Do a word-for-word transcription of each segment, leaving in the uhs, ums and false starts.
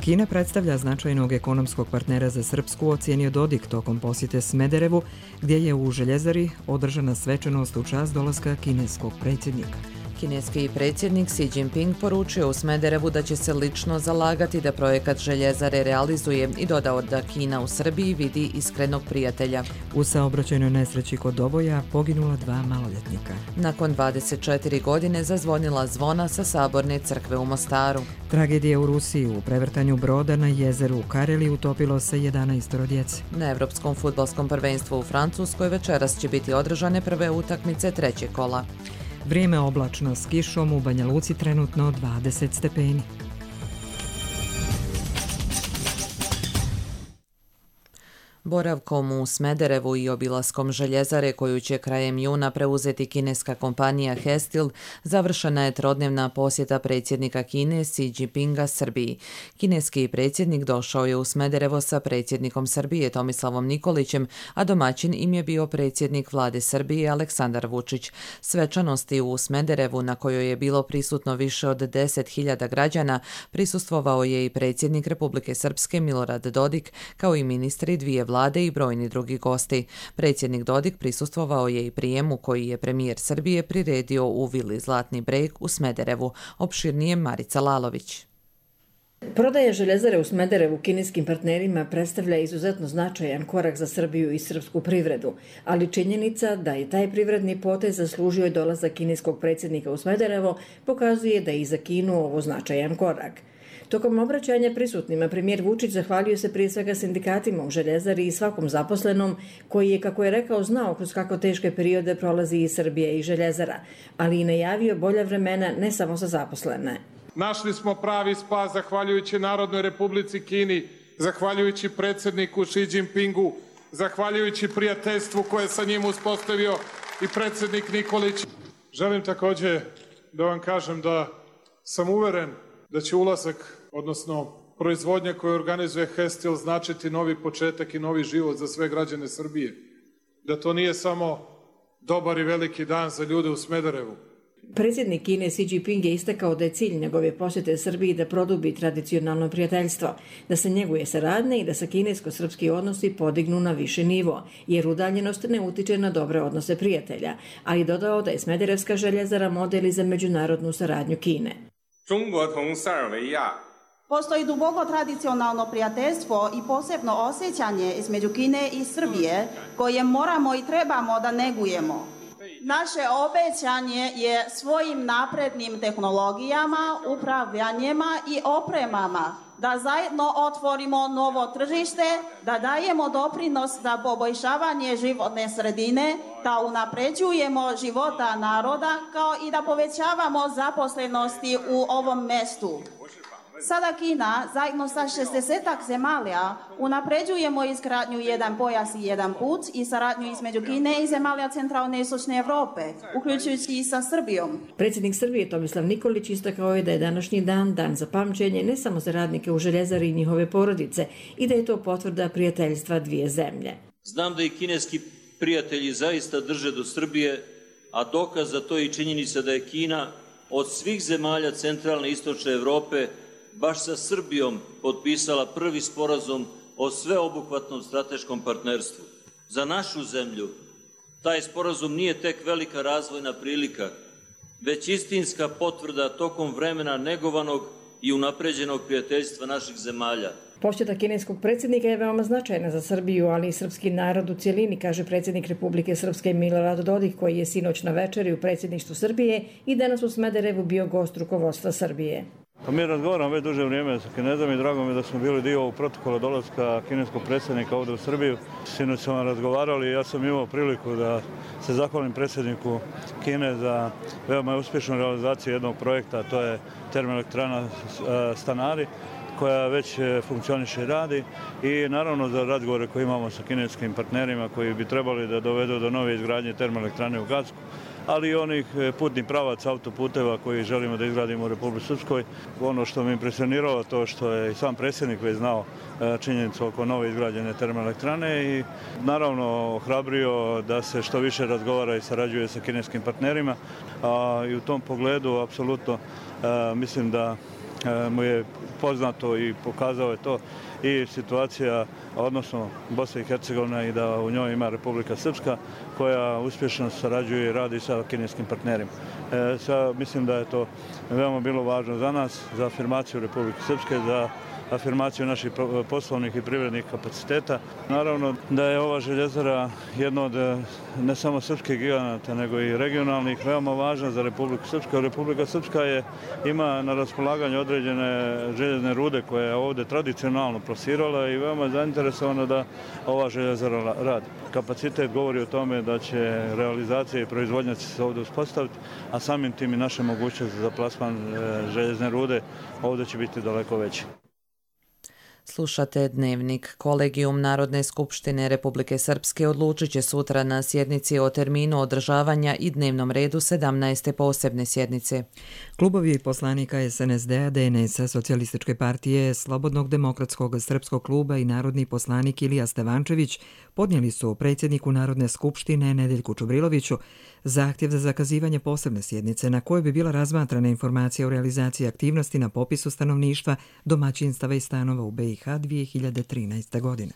Kina predstavlja značajnog ekonomskog partnera za Srpsku, ocenio Dodik tokom posjete Smederevu, gdje je u Željezari održana svečanost u čast dolaska kineskog predsjednika. Kineski predsjednik Xi Jinping poručio u Smederevu da će se lično zalagati da projekat Željezare realizuje i dodao da Kina u Srbiji vidi iskrenog prijatelja. U saobraćajnoj nesreći kod Doboja poginula dva maloljetnika. Nakon dvadeset četiri godine zazvonila zvona sa Saborne crkve u Mostaru. Tragedija u Rusiji. U prevrtanju broda na jezeru u Kareli utopilo se jedanaest djece. Na Evropskom fudbalskom prvenstvu u Francuskoj večeras će biti održane prve utakmice trećeg kola. Vrijeme oblačno s kišom, u Banja Luci trenutno dvadeset stepeni. Boravkom u Smederevu i obilaskom Željezare, koju će krajem juna preuzeti kineska kompanija Hestil, završena je trodnevna posjeta predsjednika Kine Xi Jinpinga Srbiji. Kineski predsjednik došao je u Smederevo sa predsjednikom Srbije Tomislavom Nikolićem, a domaćin im je bio predsjednik vlade Srbije Aleksandar Vučić. Svečanosti u Smederevu, na kojoj je bilo prisutno više od deset hiljada građana, prisustvovao je i predsjednik Republike Srpske Milorad Dodik, kao i ministri dvije vlade i brojni drugi gosti. Predsjednik Dodik prisustvovao je i prijemu koji je premijer Srbije priredio u vili Zlatni breg u Smederevu. Opširnije Marica Lalović. Prodaja Željezare u Smederevu kineskim partnerima predstavlja izuzetno značajan korak za Srbiju i srpsku privredu, ali činjenica da je taj privredni potez zaslužio i dolazak kineskog predsjednika u Smederevo pokazuje da je i za Kinu ovo značajan korak. Tokom obraćanja prisutnima premijer Vučić zahvalio se prije svega sindikatima u Željezari i svakom zaposlenom koji je, kako je rekao, znao kroz kako teške periode prolazi i Srbija i Željezara, ali i najavio bolja vremena ne samo za zaposlene. Našli smo pravi spas zahvaljujući Narodnoj Republici Kini, zahvaljujući predsjedniku Xi Jinpingu, zahvaljujući prijateljstvu koje je sa njim uspostavio i predsjednik Nikolić. Želim također da vam kažem da sam uveren da će ulazak, odnosno proizvodnja koju organizuje Hestil, značiti novi početak i novi život za sve građane Srbije. Da to nije samo dobar i veliki dan za ljude u Smederevu. Predsjednik Kine Xi Jinping je istakao da je cilj njegove posjete Srbiji da produbi tradicionalno prijateljstvo, da se njeguje saradnja i da se kinesko-srpski odnosi podignu na viši nivo, jer udaljenost ne utiče na dobre odnose prijatelja, ali dodao da je Smederevska željezara model i za međunarodnu saradnju Kine. Postoji duboko tradicionalno prijateljstvo i posebno osjećanje između Kine i Srbije koje moramo i trebamo da negujemo. Naše obećanje je svojim naprednim tehnologijama, upravljanjima i opremama da zajedno otvorimo novo tržište, da dajemo doprinos za poboljšavanje životne sredine, da unapređujemo života naroda kao i da povećavamo zaposlenosti u ovom mestu. Sada Kina, zajedno sa šezdesetak zemalja, unapređujemo izgradnju jedan pojas i jedan put i saradnju između Kine i zemalja centralne i istočne Evrope, uključujući i sa Srbijom. Predsjednik Srbije Tomislav Nikolić istakao je da je današnji dan dan za pamćenje ne samo za radnike u Željezari i njihove porodice i da je to potvrda prijateljstva dvije zemlje. Znam da i kineski prijatelji zaista drže do Srbije, a dokaz za to je i činjenica da je Kina od svih zemalja centralne i istočne Evrope baš sa Srbijom potpisala prvi sporazum o sveobuhvatnom strateškom partnerstvu. Za našu zemlju taj sporazum nije tek velika razvojna prilika, već istinska potvrda tokom vremena negovanog i unapređenog prijateljstva naših zemalja. Posjeta kineskog predsjednika je veoma značajna za Srbiju, ali i srpski narod u cjelini, kaže predsjednik Republike Srpske Milorad Dodik, koji je sinoć na večeri u predsjedništvu Srbije i danas u Smederevu bio gost rukovodstva Srbije. Pa mi razgovaramo već duže vrijeme sa Kinezom i drago mi je da smo bili dio ovog protokola dolaska kineskog predsjednika ovdje u Srbiju. Sinoć smo razgovarali i ja sam imao priliku da se zahvalim predsjedniku Kine za veoma uspješnu realizaciju jednog projekta, a to je termoelektrana Stanari, koja već funkcioniše i radi, i naravno za razgovore koje imamo sa kineskim partnerima koji bi trebali da dovedu do nove izgradnje termoelektrane u Gacku, ali i onih putnih pravaca autoputeva koji želimo da izgradimo u Republici Srpskoj. Ono što me impresioniralo to što je i sam predsjednik već znao činjenicu oko nove izgrađene termoelektrane i naravno ohrabrio da se što više razgovara i sarađuje sa kineskim partnerima. A, i u tom pogledu apsolutno mislim da mu je poznato i pokazao je to i situacija, odnosno Bosna i Hercegovina, i da u njoj ima Republika Srpska koja uspješno sarađuje i radi sa kineskim partnerima. E, sa, mislim da je to veoma bilo važno za nas, za afirmaciju Republike Srpske, za afirmaciju naših poslovnih i privrednih kapaciteta. Naravno da je ova željezara jedna od ne samo srpskih giganata, nego i regionalnih, veoma važna za Republiku Srpsku. Republika Srpska je, ima na raspolaganju određene željezne rude koje je ovdje tradicionalno plasirala i veoma je zainteresovana da ova željezara radi. Kapacitet govori o tome da će realizacija i proizvodnja se ovdje uspostaviti, a samim tim i naše mogućnosti za plasman željezne rude ovdje će biti daleko veći. Slušate Dnevnik. Kolegijum Narodne skupštine Republike Srpske odlučit će sutra na sjednici o terminu održavanja i dnevnom redu sedamnaeste posebne sjednice. Klubovi poslanika es en es de a, de en es a, Socijalističke partije, Slobodnog demokratskog srpskog kluba i narodni poslanik Ilija Stevančević podnijeli su predsjedniku Narodne skupštine Nedeljku Čubriloviću zahtjev za zakazivanje posebne sjednice na kojoj bi bila razmatrana informacija o realizaciji aktivnosti na popisu stanovništva, domaćinstava i stanova u be i ha dvije hiljade trinaeste. godine.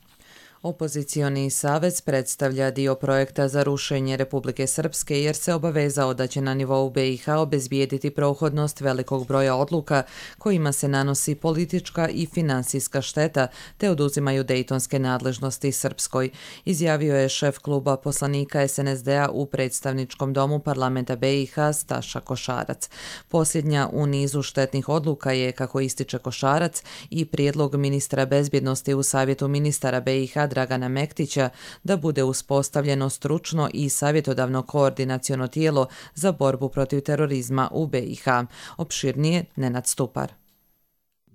Opozicioni savez predstavlja dio projekta za rušenje Republike Srpske jer se obavezao da će na nivou be i ha obezbijediti prohodnost velikog broja odluka kojima se nanosi politička i finansijska šteta te oduzimaju dejtonske nadležnosti Srpskoj, izjavio je šef kluba poslanika es en es de a u predstavničkom domu parlamenta be i ha Staša Košarac. Posljednja u nizu štetnih odluka je, kako ističe Košarac, i prijedlog ministra bezbjednosti u savjetu ministara be i ha Dragana Mektića da bude uspostavljeno stručno i savjetodavno koordinaciono tijelo za borbu protiv terorizma u be i ha. Opširnije Nenad Stupar.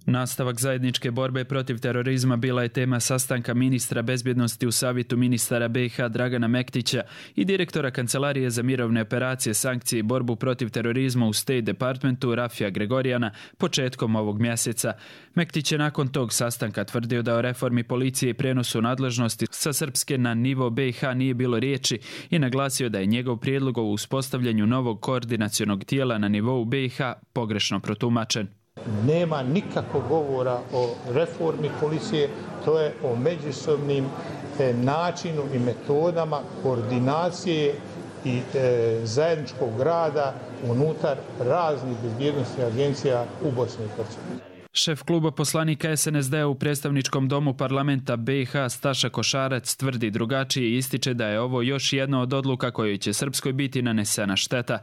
Nastavak zajedničke borbe protiv terorizma bila je tema sastanka ministra bezbjednosti u savjetu ministara be i ha Dragana Mektića i direktora Kancelarije za mirovne operacije, sankcije i borbu protiv terorizma u State Departmentu Rafija Gregorijana početkom ovog mjeseca. Mektić je nakon tog sastanka tvrdio da o reformi policije i prenosu nadležnosti sa Srpske na nivo be i ha nije bilo riječi i naglasio da je njegov prijedlog o uspostavljanju novog koordinacionog tijela na nivou be i ha pogrešno protumačen. Nema nikakvog govora o reformi policije, to je o međusobnim e, načinu i metodama koordinacije i e, zajedničkog rada unutar raznih bezbjednosnih agencija u Bosni i Hercegovini. Šef kluba poslanika es en es de a u predstavničkom domu parlamenta be i ha Staša Košarac tvrdi drugačije i ističe da je ovo još jedna od odluka kojoj će Srpskoj biti nanesena šteta.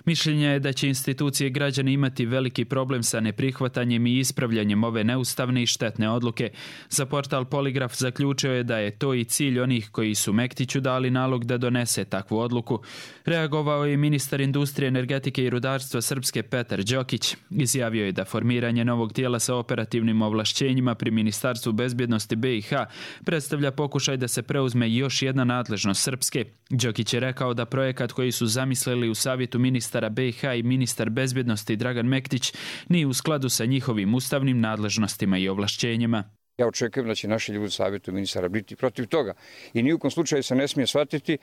Mišljenje je da će institucije i građani imati veliki problem sa neprihvatanjem i ispravljanjem ove neustavne i štetne odluke. Za portal Poligraf zaključio je da je to i cilj onih koji su Mektiću dali nalog da donese takvu odluku. Reagovao je ministar industrije, energetike i rudarstva Srpske Petar Đokić. Izjavio je da formiranje novog tijela sa operativnim ovlašćenjima pri Ministarstvu bezbjednosti be i ha predstavlja pokušaj da se preuzme još jedna nadležnost Srpske. Đokić je rekao da projekat koji su zamislili u savjetu ministara be i ha i ministar bezbjednosti Dragan Mektić nije u skladu sa njihovim ustavnim nadležnostima i ovlašćenjima. Ja očekujem da će naši ljudi u savjetu ministara biti protiv toga. I nijukom slučaju se ne smije shvatiti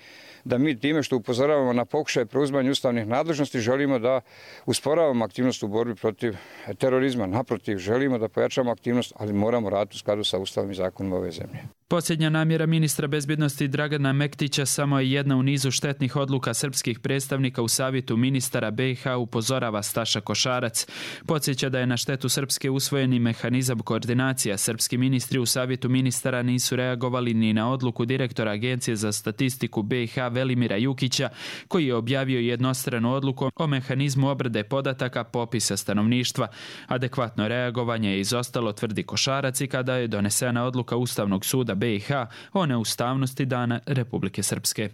da mi time što upozoravamo na pokušaj preuzimanja ustavnih nadležnosti želimo da usporavamo aktivnost u borbi protiv terorizma. Naprotiv, želimo da pojačamo aktivnost, ali moramo raditi u skladu sa ustavnim zakonima ove zemlje. Posljednja namjera ministra bezbjednosti Dragana Mektića samo je jedna u nizu štetnih odluka srpskih predstavnika u savjetu ministara be i ha, upozorava Staša Košarac. Podsjeća da je na štetu Srpske usvojeni mehanizam koordinacija. Srpski ministri u savjetu ministara nisu reagovali ni na odluku direktora Agencije za statistiku be i ha Velimira Jukića, koji je objavio jednostranu odluku o mehanizmu obrade podataka popisa stanovništva. Adekvatno reagovanje je izostalo, tvrdi Košarac, i kada je donesena odluka Ustavnog suda be i ha o neustavnosti Dana Republike Srpske.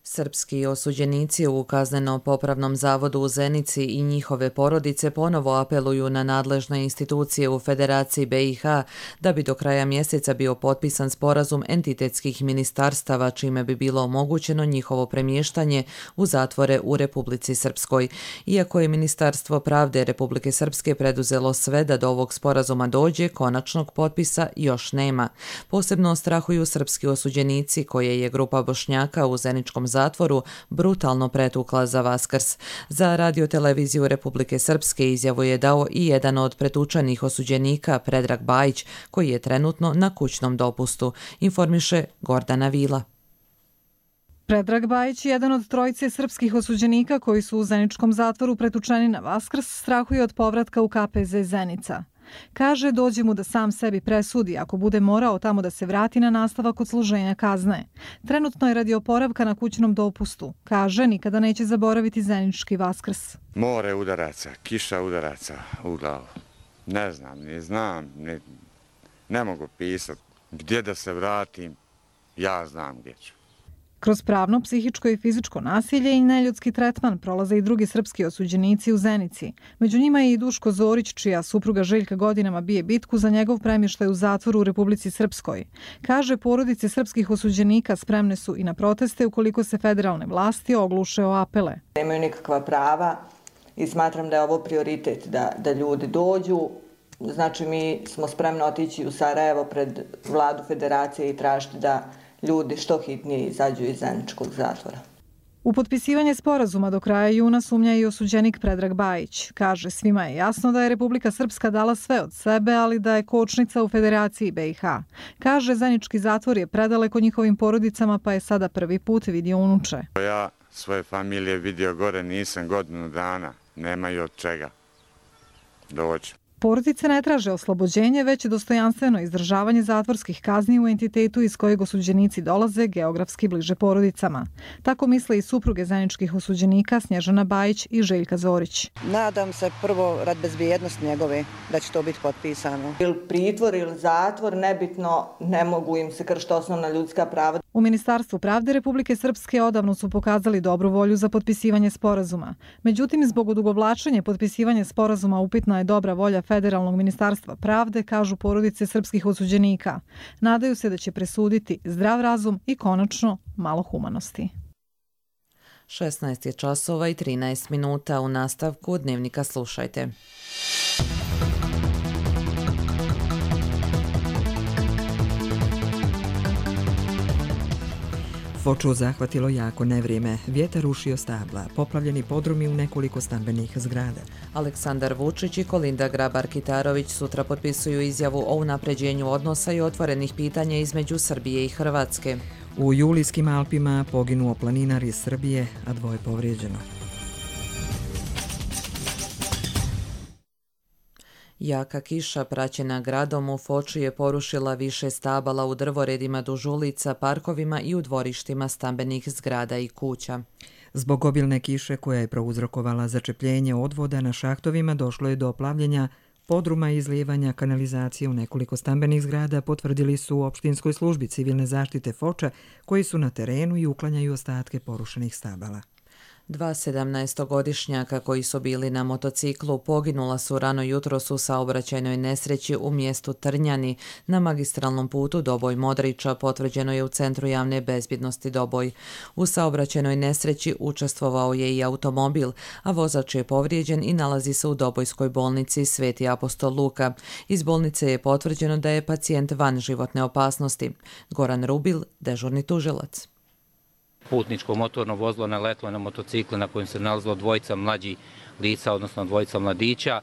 Srpski osuđenici u kazneno-popravnom zavodu u Zenici i njihove porodice ponovo apeluju na nadležne institucije u Federaciji be i ha da bi do kraja mjeseca bio potpisan sporazum entitetskih ministarstava, čime bi bilo omogućeno njihovo premještanje u zatvore u Republici Srpskoj. Iako je Ministarstvo pravde Republike Srpske preduzelo sve da do ovog sporazuma dođe, konačnog potpisa još nema. Posebno strahuju srpski osuđenici, koje je grupa Bošnjaka u Zeničkom zavodu zatvoru brutalno pretukla za Vaskrs. Za radioteleviziju Republike Srpske izjavu je dao i jedan od pretučenih osuđenika, Predrag Bajić, koji je trenutno na kućnom dopustu, informiše Gordana Vila. Predrag Bajić, jedan od trojice srpskih osuđenika koji su u zeničkom zatvoru pretučeni na Vaskrs, strahuje od povratka u K P Z Zenica. Kaže, dođe mu da sam sebi presudi ako bude morao tamo da se vrati na nastavak odsluženja kazne. Trenutno je radi oporavka na kućnom dopustu. Kaže, nikada neće zaboraviti zenički Vaskrs. More udaraca, kiša udaraca u glavu. Ne znam, ne znam, ne, ne mogu pisati. Gdje da se vratim, ja znam gdje ću. Kroz pravno, psihičko i fizičko nasilje i neljudski tretman prolaze i drugi srpski osuđenici u Zenici. Među njima je i Duško Zorić, čija supruga Željka godinama bije bitku za njegov premještaj u zatvoru u Republici Srpskoj. Kaže, porodice srpskih osuđenika spremne su i na proteste ukoliko se federalne vlasti ogluše o apele. Nemaju nikakva prava i smatram da je ovo prioritet da, da ljudi dođu. Znači, mi smo spremni otići u Sarajevo pred vladu federacije i tražiti da ljudi što hitnije izađu iz zeničkog zatvora. U potpisivanje sporazuma do kraja juna sumnja i osuđenik Predrag Bajić. Kaže, svima je jasno da je Republika Srpska dala sve od sebe, ali da je kočnica u Federaciji B i H. Kaže, zenički zatvor je predaleko njihovim porodicama, pa je sada prvi put vidio unuče. Ja svoje familije vidio gore nisam godinu dana, nemaju od čega doći. Porodice ne traže oslobođenje, već dostojanstveno izdržavanje zatvorskih kazni u entitetu iz kojeg osuđenici dolaze geografski bliže porodicama. Tako misle i supruge zeničkih osuđenika Snježana Bajić i Željka Zorić. Nadam se prvo rad bezbjednosti njegove da će to biti potpisano. Ili pritvor ili zatvor, nebitno, ne mogu im se kršiti osnovna ljudska prava. U Ministarstvu pravde Republike Srpske odavno su pokazali dobru volju za potpisivanje sporazuma. Međutim, zbog odugovlačenja potpisivanja sporazuma upitna je dobra volja Federalnog ministarstva pravde, kažu porodice srpskih osuđenika. Nadaju se da će presuditi zdrav razum i konačno malo humanosti. šesnaest je časova i trinaest minuta. U nastavku Dnevnika slušajte. Foču zahvatilo jako nevrijeme, vjetar rušio stabla, poplavljeni podrumi u nekoliko stambenih zgrada. Aleksandar Vučić i Kolinda Grabar-Kitarović sutra potpisuju izjavu o unapređenju odnosa i otvorenih pitanja između Srbije i Hrvatske. U Julijskim Alpima poginuo planinar iz Srbije, a dvoje povrijeđeno. Jaka kiša praćena gradom u Foči je porušila više stabala u drvoredima duž ulica, parkovima i u dvorištima stambenih zgrada i kuća. Zbog obilne kiše koja je prouzrokovala začepljenje odvoda na šahtovima došlo je do plavljenja podruma i izlijevanja kanalizacije u nekoliko stambenih zgrada, potvrdili su u opštinskoj službi civilne zaštite Foča, koji su na terenu i uklanjaju ostatke porušenih stabala. Dva sedamnaestogodišnjaka koji su bili na motociklu poginula su rano jutros u saobraćajnoj nesreći u mjestu Trnjani na magistralnom putu Doboj-Modriča, potvrđeno je u Centru javne bezbjednosti Doboj. U saobraćajnoj nesreći učestvovao je i automobil, a vozač je povrijeđen i nalazi se u Dobojskoj bolnici Sveti apostol Luka. Iz bolnice je potvrđeno da je pacijent van životne opasnosti. Goran Rubil, dežurni tužilac. Putničko motorno vozilo naletlo na motocikle na kojem se nalazilo dvojica mlađih lica, odnosno dvojica mladića.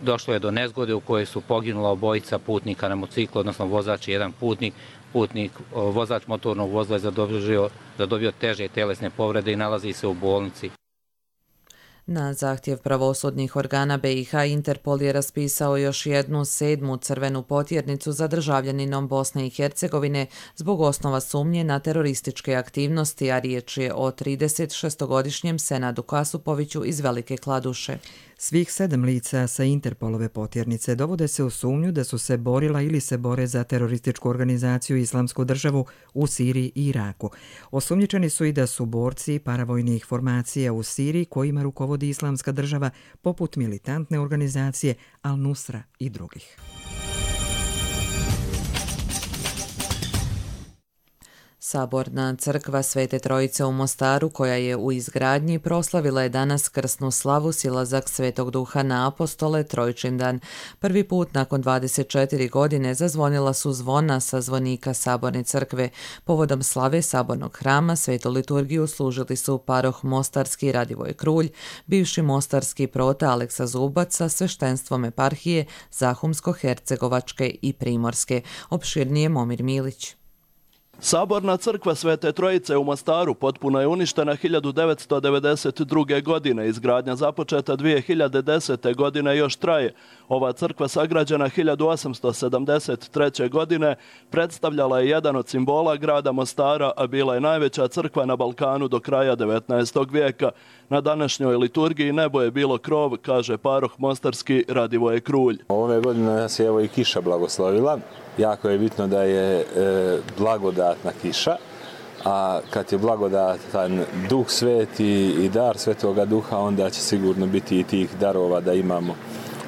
Došlo je do nezgode u kojoj su poginula obojica putnika na motociklu, odnosno vozač i jedan putnik. Putnik, vozač motornog vozila je zadobio, zadobio teže telesne povrede i nalazi se u bolnici. Na zahtjev pravosudnih organa B i H Interpol je raspisao još jednu sedmu crvenu potjernicu za državljaninom Bosne i Hercegovine zbog osnova sumnje na terorističke aktivnosti, a riječ je o trideset šestogodišnjem Senadu Kasupoviću iz Velike Kladuše. Svih sedam lica sa Interpolove potjernice dovode se u sumnju da su se borila ili se bore za terorističku organizaciju Islamsku državu u Siriji i Iraku. Osumnjičeni su i da su borci paravojnih formacija u Siriji kojima rukovodi Islamska država poput militantne organizacije Al-Nusra i drugih. Saborna crkva Svete Trojice u Mostaru, koja je u izgradnji, proslavila je danas krsnu slavu silazak Svetog Duha na apostole Trojčindan. Prvi put nakon dvadeset četiri godine zazvonila su zvona sa zvonika Saborne crkve. Povodom slave Sabornog hrama svetu liturgiju služili su paroh Mostarski Radivoj Krulj, bivši mostarski prota Aleksa Zubac sa sveštenstvom eparhije Zahumsko-Hercegovačke i Primorske. Opširnije Momir Milić. Saborna crkva Svete Trojice u Mostaru potpuno je uništena hiljadu devetsto devedeset druge. godine. Izgradnja započeta dvije hiljade desete. godine još traje. Ova crkva sagrađena hiljadu osamsto sedamdeset treće. godine predstavljala je jedan od simbola grada Mostara, a bila je najveća crkva na Balkanu do kraja devetnaestog. vijeka. Na današnjoj liturgiji nebo je bilo krov, kaže paroh Mostarski Radivoje Krulj. Ove godine nas je evo i kiša blagoslovila. Jako je bitno da je e, blagodatna kiša, a kad je blagodatan Duh Sveti i dar Svetoga Duha, onda će sigurno biti i tih darova da imamo,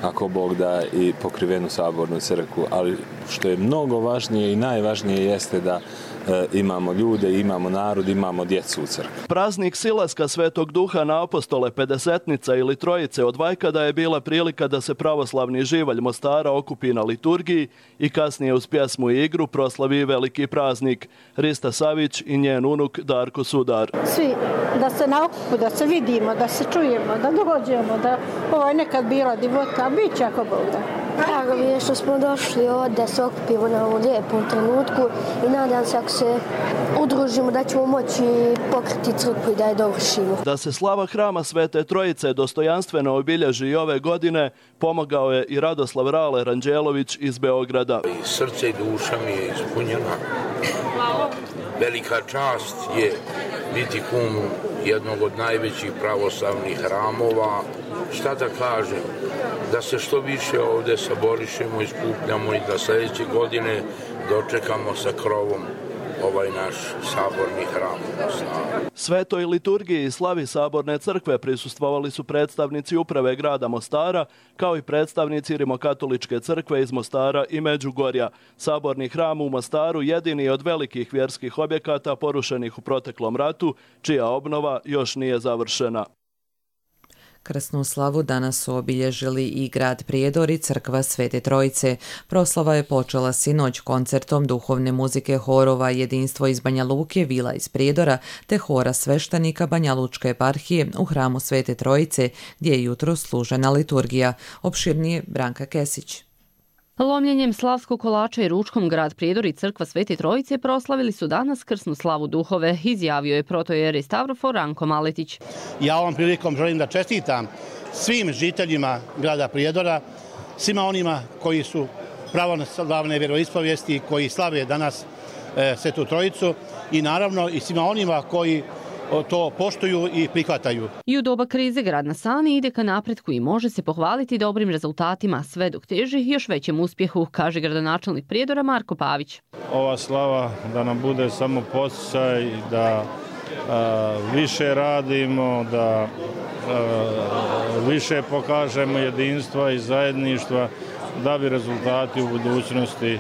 ako Bog da, i pokrivenu sabornu crkvu. Ali što je mnogo važnije i najvažnije jeste da e, imamo ljude, imamo narod, imamo djecu u crkvi. Praznik silaska Svetog Duha na apostole Pedesetnica ili Trojice od vajkada je bila prilika da se pravoslavni živalj Mostara okupi na liturgiji i kasnije uz pjesmu i igru proslavi veliki praznik. Rista Savić i njen unuk Darko Sudar. Svi da se naokupu, da se vidimo, da se čujemo, da dođemo, da ovo je nekad bila divota, bit će ako Bog da. Drago mi je što smo došli ovdje da se okupimo na ovom lijepom trenutku i nadam se ako se udružimo da ćemo moći pokriti crkvu i da je dovršimo. Da se slava hrama Svete Trojice dostojanstveno obilježi i ove godine, pomogao je i Radoslav Rale Ranđelović iz Beograda. I srce i duša mi je ispunjena. Velika čast je biti kum jednog od najvećih pravoslavnih hramova. Šta da kažem? Da se što više ovdje saborišemo i skupljamo i da sljedeće godine dočekamo sa krovom ovaj naš saborni hram. Svetoj liturgiji i slavi Saborne crkve prisustvovali su predstavnici uprave grada Mostara, kao i predstavnici Rimokatoličke crkve iz Mostara i Međugorja. Saborni hram u Mostaru jedini od velikih vjerskih objekata porušenih u proteklom ratu, čija obnova još nije završena. Krsnu slavu danas su obilježili i grad Prijedor i crkva Svete Trojice. Proslava je počela sinoć koncertom duhovne muzike horova Jedinstvo iz Banja Luke, Vila iz Prijedora te hora sveštenika Banja Lučke eparhije u hramu Svete Trojice, gdje je jutro služena liturgija. Opširnije Branka Kesić. Lomljenjem slavskog kolača i ručkom grad Prijedor i crkva Svete Trojice proslavili su danas krsnu slavu duhove, izjavio je protojerej Stavrofor Ranko Maletić. Ja ovom prilikom želim da čestitam svim žiteljima grada Prijedora, svima onima koji su pravoslavne vjeroispovijesti, koji slave danas e, Svetu Trojicu i naravno i svima onima koji to poštuju i prihvataju. I u doba krize grad na Sani ide ka napretku i može se pohvaliti dobrim rezultatima, sve dok teži još većem uspjehu, kaže gradonačelnik Prijedora Marko Pavić. Ova slava da nam bude samo podsjećaj da a, više radimo, da a, više pokažemo jedinstva i zajedništva, da bi rezultati u budućnosti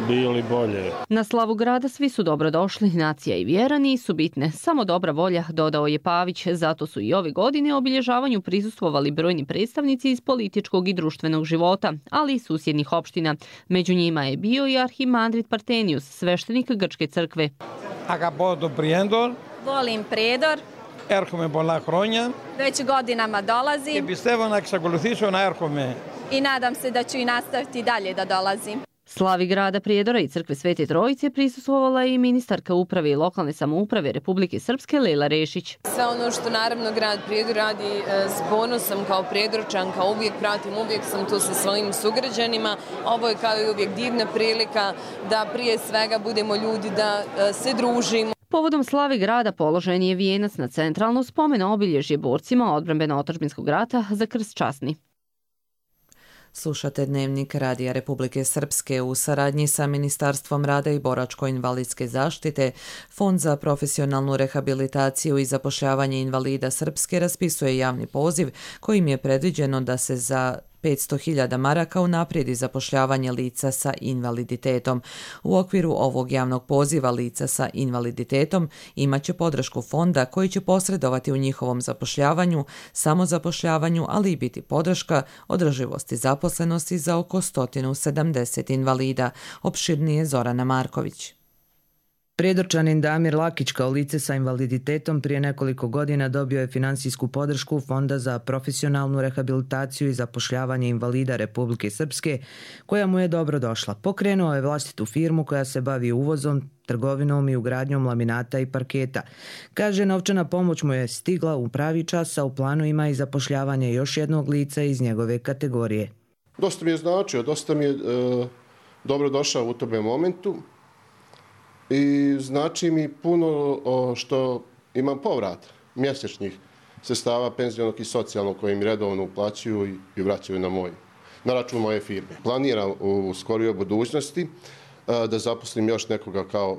bili bolje. Na slavu grada svi su dobrodošli, nacija i vjera nisu bitne, samo dobra volja, dodao je Pavić, zato su i ove godine obilježavanju prisustvovali brojni predstavnici iz političkog i društvenog života, ali i susjednih opština. Među njima je bio i arhimandrit Partenius, sveštenik Grčke crkve. Αγαπώ Prijedor. Volim Prijedor. Έρχομαι πολλά χρόνια. Već godinama dolazim. Και πιστεύω να εξακολουθήσω να έρχομαι. I nadam se da ću i nastaviti dalje da dolazim. Slavi grada Prijedora i crkve Svete Trojice prisustvovala i ministarka uprave i lokalne samouprave Republike Srpske Lela Rešić. Sve ono što naravno grad Prijedor radi s ponosom kao Prijedorčanka, uvijek pratim, uvijek sam tu sa svojim sugrađanima. Ovo je kao i uvijek divna prilika da prije svega budemo ljudi, da se družimo. Povodom slavi grada položen je vijenac na centralno spomena obilježje borcima odbrambeno-otadžbinskog rata za krst časni. Slušate Dnevnik Radija Republike Srpske u saradnji sa Ministarstvom rada i boračko-invalidske zaštite. Fond za profesionalnu rehabilitaciju i zapošljavanje invalida Srpske raspisuje javni poziv kojim je predviđeno da se za petsto hiljada maraka unaprijedi zapošljavanje lica sa invaliditetom. U okviru ovog javnog poziva lica sa invaliditetom imaće podršku fonda koji će posredovati u njihovom zapošljavanju, samozapošljavanju, ali i biti podrška održivosti zaposlenosti za oko sto sedamdeset invalida. Opširnije Zorana Marković. Prijedorčanin Damir Lakić kao lice sa invaliditetom prije nekoliko godina dobio je finansijsku podršku Fonda za profesionalnu rehabilitaciju i zapošljavanje invalida Republike Srpske, koja mu je dobro došla. Pokrenuo je vlastitu firmu koja se bavi uvozom, trgovinom i ugradnjom laminata i parketa. Kaže, novčana pomoć mu je stigla u pravi čas, a u planu ima i zapošljavanje još jednog lica iz njegove kategorije. Dosta mi je značio, dosta mi je e, dobro došao u tome momentu. I znači mi puno o, što imam povrat mjesečnih sredstava penzionog i socijalnog koji mi redovno uplaćuju i, i vraćaju na moj, na račun moje firme. Planiram u skorijoj budućnosti a, da zaposlim još nekoga kao,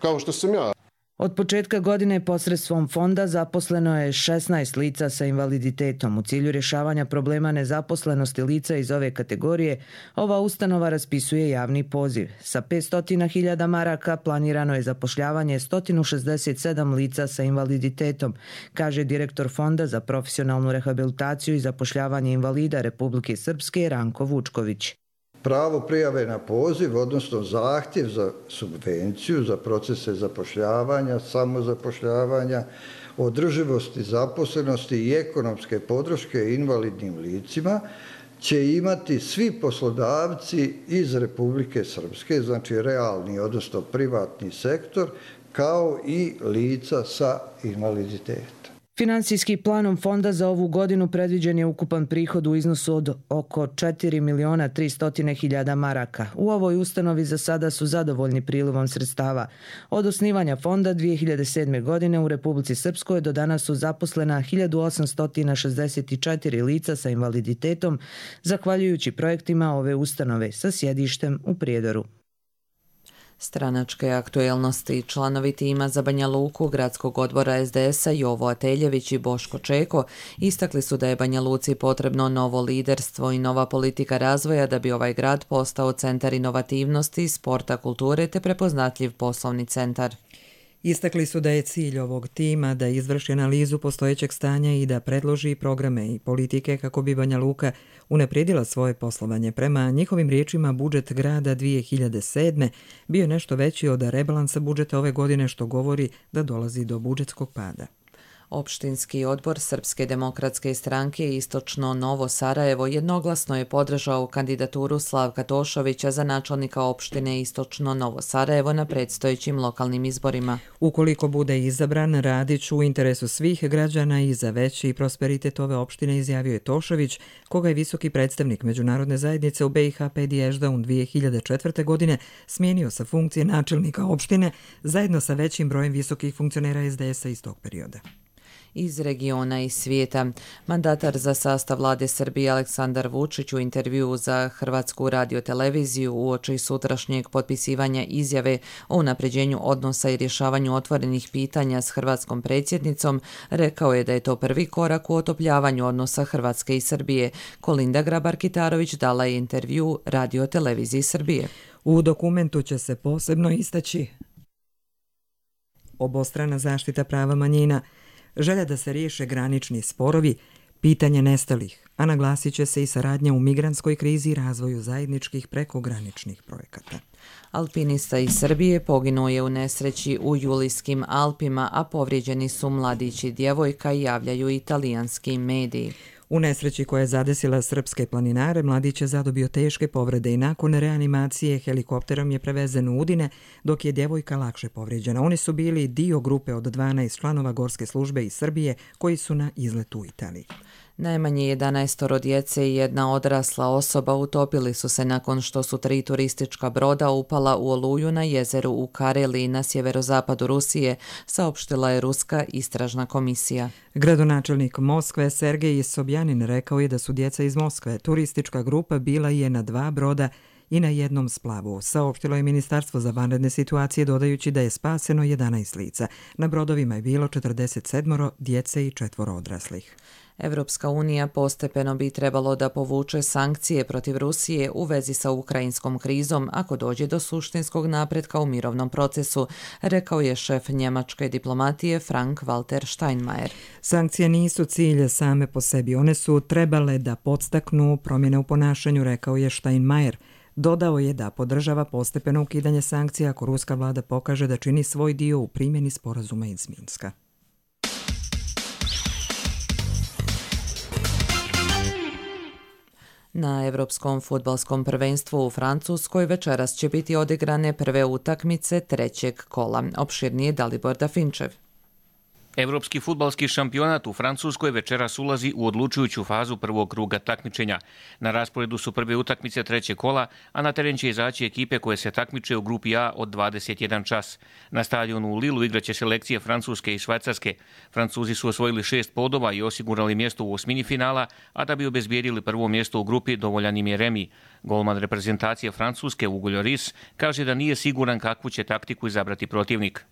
kao što sam ja. Od početka godine posredstvom fonda zaposleno je šesnaest lica sa invaliditetom. U cilju rješavanja problema nezaposlenosti lica iz ove kategorije, ova ustanova raspisuje javni poziv. Sa petsto hiljada maraka planirano je zapošljavanje sto šezdeset sedam lica sa invaliditetom, kaže direktor Fonda za profesionalnu rehabilitaciju i zapošljavanje invalida Republike Srpske Ranko Vučković. Pravo prijave na poziv, odnosno zahtjev za subvenciju, za procese zapošljavanja, samozapošljavanja, održivosti zaposlenosti i ekonomske podrške invalidnim licima će imati svi poslodavci iz Republike Srpske, znači realni, odnosno privatni sektor, kao i lica sa invaliditetom. Finansijski planom fonda za ovu godinu predviđen je ukupan prihod u iznosu od oko četiri miliona tristo hiljada maraka. U ovoj ustanovi za sada su zadovoljni prilivom sredstava. Od osnivanja fonda dvije hiljade sedme. godine u Republici Srpskoj do danas su zaposlena hiljadu osamsto šezdeset četiri lica sa invaliditetom, zahvaljujući projektima ove ustanove sa sjedištem u Prijedoru. Stranačke aktuelnosti. Članovi tima za Banja Luku gradskog odbora es de es a Jovo Ateljević i Boško Čeko istakli su da je Banja Luci potrebno novo liderstvo i nova politika razvoja da bi ovaj grad postao centar inovativnosti, sporta, kulture te prepoznatljiv poslovni centar. Istakli su da je cilj ovog tima da izvrši analizu postojećeg stanja i da predloži programe i politike kako bi Banja Luka unaprijedila svoje poslovanje. Prema njihovim riječima, budžet grada dvije hiljade sedme. bio nešto veći od rebalansa budžeta ove godine, što govori da dolazi do budžetskog pada. Opštinski odbor Srpske demokratske stranke Istočno Novo Sarajevo jednoglasno je podržao kandidaturu Slavka Tošovića za načelnika opštine Istočno Novo Sarajevo na predstojećim lokalnim izborima. Ukoliko bude izabran, radit ću u interesu svih građana i za veći prosperitet ove opštine, izjavio je Tošović, koga je visoki predstavnik međunarodne zajednice u be i ha Pedi Ešdaun dvije hiljade četvrte. godine smijenio sa funkcije načelnika opštine zajedno sa većim brojem visokih funkcionera es de es a iz tog perioda. Iz regiona i svijeta. Mandatar za sastav vlade Srbije Aleksandar Vučić u intervjuu za Hrvatsku radioteleviziju uoči sutrašnjeg potpisivanja izjave o unapređenju odnosa i rješavanju otvorenih pitanja s hrvatskom predsjednicom rekao je da je to prvi korak u otopljavanju odnosa Hrvatske i Srbije. Kolinda Grabar-Kitarović dala je intervju radioteleviziji Srbije. U dokumentu će se posebno istaći obostrana zaštita prava manjina, želja da se riješe granični sporovi, pitanje nestalih, a naglasit će se i saradnja u migrantskoj krizi i razvoju zajedničkih prekograničnih projekata. Alpinista iz Srbije poginuo je u nesreći u Julijskim Alpima, a povrijeđeni su mladić i djevojka, javljaju italijanski mediji. U nesreći koja je zadesila srpske planinare, mladić je zadobio teške povrede i nakon reanimacije helikopterom je prevezen u Udine, dok je djevojka lakše povrijeđena. Oni su bili dio grupe od dvanaest članova Gorske službe iz Srbije koji su na izletu u Italiji. Najmanje jedanaestoro djece i jedna odrasla osoba utopili su se nakon što su tri turistička broda upala u oluju na jezeru u Kareliji na sjeverozapadu Rusije, saopštila je Ruska istražna komisija. Gradonačelnik Moskve Sergej Sobjanin rekao je da su djeca iz Moskve. Turistička grupa bila je na dva broda i na jednom splavu, saopštilo je Ministarstvo za vanredne situacije, dodajući da je spaseno jedanaest lica. Na brodovima je bilo četrdeset sedam djece i četvoro odraslih. Evropska unija postepeno bi trebalo da povuče sankcije protiv Rusije u vezi sa ukrajinskom krizom ako dođe do suštinskog napretka u mirovnom procesu, rekao je šef njemačke diplomatije Frank-Walter Steinmeier. Sankcije nisu cilj same po sebi, one su trebale da podstaknu promjene u ponašanju, rekao je Steinmeier. Dodao je da podržava postepeno ukidanje sankcija ako ruska vlada pokaže da čini svoj dio u primjeni sporazuma iz Minska. Na Evropskom fudbalskom prvenstvu u Francuskoj večeras će biti odigrane prve utakmice trećeg kola. Opširnije Dalibor Dafinčev. Evropski fudbalski šampionat u Francuskoj večeras ulazi u odlučujuću fazu prvog kruga takmičenja. Na rasporedu su prve utakmice trećeg kola, a na teren će izaći ekipe koje se takmiče u grupi A od dvadeset jedan čas. Na stadionu u Lilu igraće selekcije Francuske i Švajcarske. Francuzi su osvojili šest bodova i osigurali mjesto u osmini finala, a da bi obezbijedili prvo mjesto u grupi dovoljan im je remi. Golman reprezentacije Francuske Hugo Lloris kaže da nije siguran kakvu će taktiku izabrati protivnik.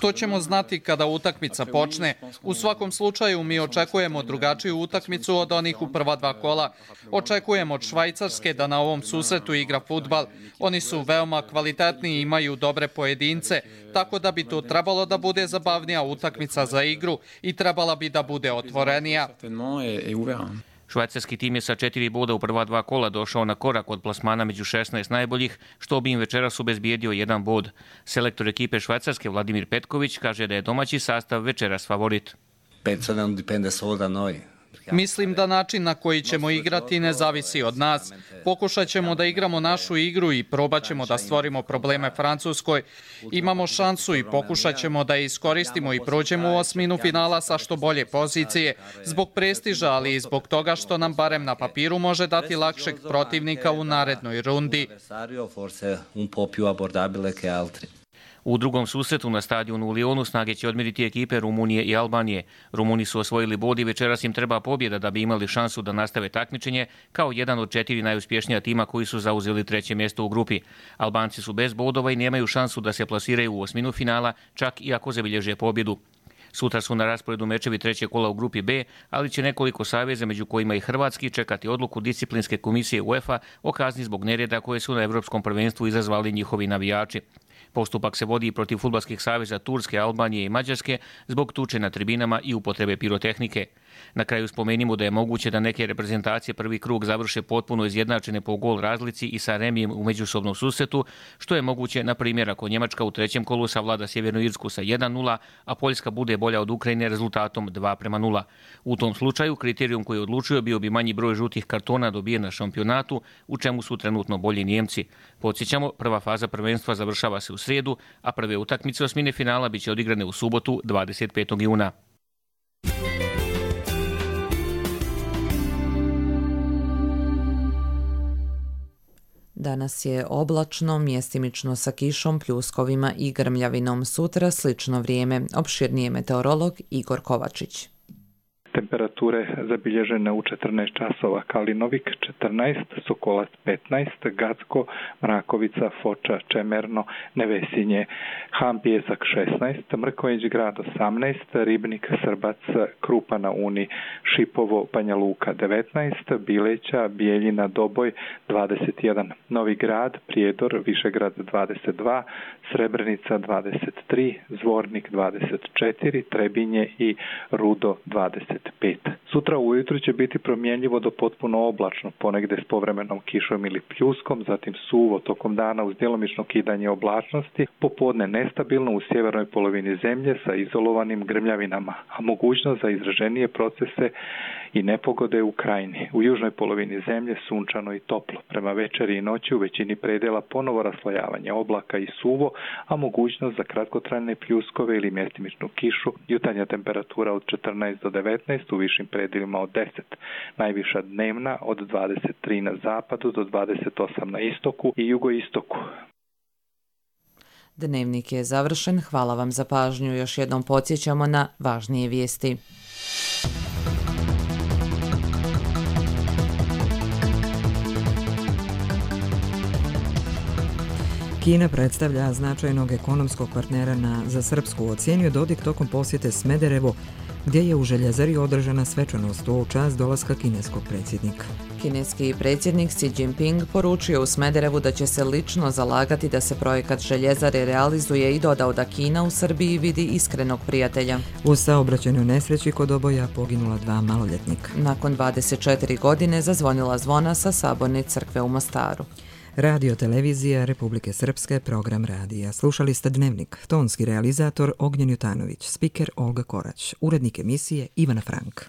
To ćemo znati kada utakmica počne. U svakom slučaju mi očekujemo drugačiju utakmicu od onih u prva dva kola. Očekujemo od Švajcarske da na ovom susretu igra fudbal. Oni su veoma kvalitetni i imaju dobre pojedince, tako da bi to trebalo da bude zabavnija utakmica za igru i trebala bi da bude otvorenija. Švajcarski tim je sa četiri boda u prva dva kola došao na korak od plasmana među šesnaest najboljih, što bi im večeras obezbijedio jedan bod. Selektor ekipe Švajcarske Vladimir Petković kaže da je domaći sastav večeras favorit. Mislim da način na koji ćemo igrati ne zavisi od nas. Pokušat ćemo da igramo našu igru i probat ćemo da stvorimo probleme Francuskoj. Imamo šansu i pokušat ćemo da je iskoristimo i prođemo u osminu finala sa što bolje pozicije, zbog prestiža, ali i zbog toga što nam barem na papiru može dati lakšeg protivnika u narednoj rundi. U drugom susretu na stadionu u Lionu snage će odmiriti ekipe Rumunije i Albanije. Rumuni su osvojili bod i večeras im treba pobjeda da bi imali šansu da nastave takmičenje kao jedan od četiri najuspješnija tima koji su zauzeli treće mjesto u grupi. Albanci su bez bodova i nemaju šansu da se plasiraju u osminu finala, čak i ako zabilježe pobjedu. Sutra su na rasporedu mečevi trećeg kola u grupi B, ali će nekoliko saveza, među kojima i hrvatski, čekati odluku disciplinske komisije UEFA o kazni zbog nereda koje su na Evropskom prvenstvu izazvali njihovi navijači. Postupak se vodi protiv fudbalskih saveza Turske, Albanije i Mađarske zbog tuče na tribinama i upotrebe pirotehnike. Na kraju spomenimo da je moguće da neke reprezentacije prvi krug završe potpuno izjednačene po gol razlici i sa remijem u međusobnom susretu, što je moguće, na primjer, ako Njemačka u trećem kolu savlada Sjevernu Irsku sa jedan nula, a Poljska bude bolja od Ukrajine rezultatom dva prema nula. U tom slučaju kriterijum koji je odlučio bio bi manji broj žutih kartona dobijen na šampionatu, u čemu su trenutno bolji Nijemci. Podsjećamo, prva faza prvenstva završava se u srijedu, a prve utakmice osmine finala biće odigrane u subotu dvadeset petog juna. Danas je oblačno, mjestimično sa kišom, pljuskovima i grmljavinom. Sutra slično vrijeme. Opširnije meteorolog Igor Kovačić. Temperature zabilježene u četrnaest časova: Kalinovik četrnaest, Sokolac petnaest, Gacko, Mrakovica, Foča, Čemerno, Nevesinje, Han Pijesak šesnaest, Mrkonjić grad osamnaest, Ribnik, Srbac, Krupa na Uni, Šipovo, Banja Luka devetnaest, Bileća, Bijeljina, Doboj dvadeset jedan, Novi grad, Prijedor, Višegrad dvadeset dva, Srebrenica dvadeset tri, Zvornik dvadeset četiri, Trebinje i Rudo dvadeset pet. Sutra ujutru će biti promjenjivo do potpuno oblačno, ponegde s povremenom kišom ili pljuskom, zatim suvo tokom dana uz djelomično kidanje oblačnosti, popodne nestabilno u sjevernoj polovini zemlje sa izolovanim grmljavinama, a mogućnost za izraženije procese i nepogode u krajini. U južnoj polovini zemlje sunčano i toplo. Prema večeri i noći u većini predjela ponovo raslojavanje oblaka i suvo, a mogućnost za kratkotrajne pljuskove ili mjestimičnu kišu. Jutarnja temperatura od četrnaest do devetnaest, u višim predjelima od deset. Najviša dnevna od dvadeset tri na zapadu do dvadeset osam na istoku i jugoistoku. Dnevnik je završen. Hvala vam za pažnju. Još jednom podsjećamo na važnije vijesti. Kina predstavlja značajnog ekonomskog partnera na, za Srpsku, ocijenio Dodik tokom posjete Smederevo, gdje je u Željezari održana svečanost u čast dolaska kineskog predsjednika. Kineski predsjednik Xi Jinping poručio u Smederevu da će se lično zalagati da se projekat Željezare realizuje i dodao da Kina u Srbiji vidi iskrenog prijatelja. U saobraćajnoj nesreći kod oboja poginula dva maloljetnika. Nakon dvadeset četiri godine zazvonila zvona sa Saborne crkve u Mostaru. Radio televizija Republike Srpske, program radija. Slušali ste Dnevnik, tonski realizator Ognjen Jutanović, spiker Olga Korać, urednik emisije Ivana Frank.